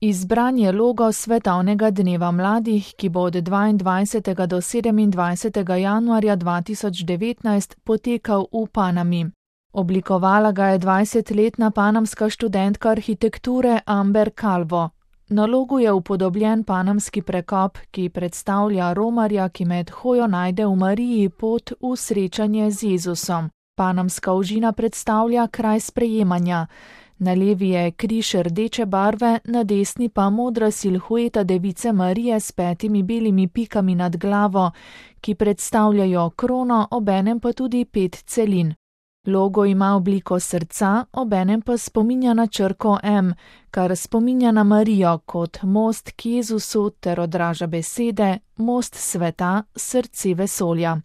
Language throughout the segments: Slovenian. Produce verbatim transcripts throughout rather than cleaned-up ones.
Izbran je logo Svetovnega dneva mladih, ki bo od dvaindvajsetega do sedemindvajsetega januarja dva tisoč devetnajst potekal v Panami. Oblikovala ga je dvajsetletna panamska študentka arhitekture Amber Calvo. Na logu je upodobljen panamski prekop, ki predstavlja romarja, ki med hojo najde v Mariji pot v srečanje z Jezusom. Panamska ožina predstavlja kraj sprejemanja. Na levi je križ rdeče barve, na desni pa modra silhueta device Marije s petimi belimi pikami nad glavo, ki predstavljajo krono, obenem pa tudi pet celin. Logo ima obliko srca, obenem pa spominja na črko M, kar spominja na Marijo kot most k Jezusu ter odraža besede most sveta, srce vesolja.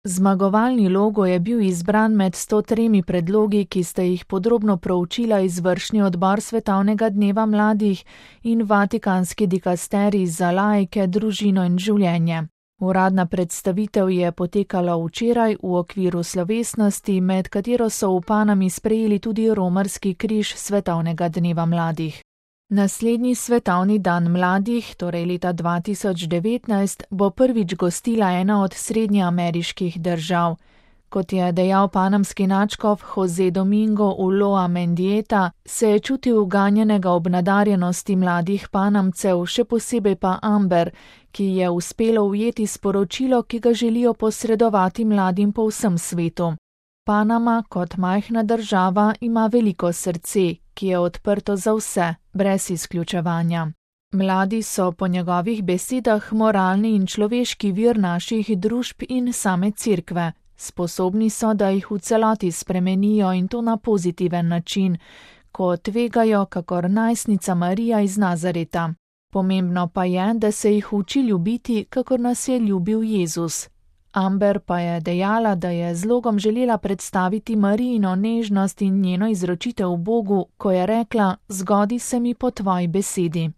Zmagovalni logo je bil izbran med sto tremi predlogi, ki sta jih podrobno proučila izvršni odbor Svetovnega dneva mladih in Vatikanski dikasterij za laike, družino in življenje. Uradna predstavitev je potekala včeraj v okviru slovesnosti, med katero so v Panami sprejeli tudi romarski križ Svetovnega dneva mladih. Naslednji svetovni dan mladih, torej leta dva tisoč devetnajst, bo prvič gostila ena od srednjeameriških držav. Kot je dejal panamski nadškof Jose Domingo Ulloa Mendieta, se je čutil uganjenega ob nadarjenosti mladih Panamcev, še posebej pa Amber, ki je uspelo ujeti sporočilo, ki ga želijo posredovati mladim po vsem svetu. Panama kot majhna država ima veliko srce, ki je odprto za vse, brez izključevanja. Mladi so po njegovih besedah moralni in človeški vir naših družb in same cerkve. Sposobni so, da jih v celoti spremenijo in to na pozitiven način, ko tvegajo kakor najstnica Marija iz Nazareta. Pomembno pa je, da se jih uči ljubiti, kakor nas je ljubil Jezus. Amber pa je dejala, da je z logom želela predstaviti Marijino nežnost in njeno izročitev Bogu, ko je rekla: "Zgodi se mi po tvoji besedi."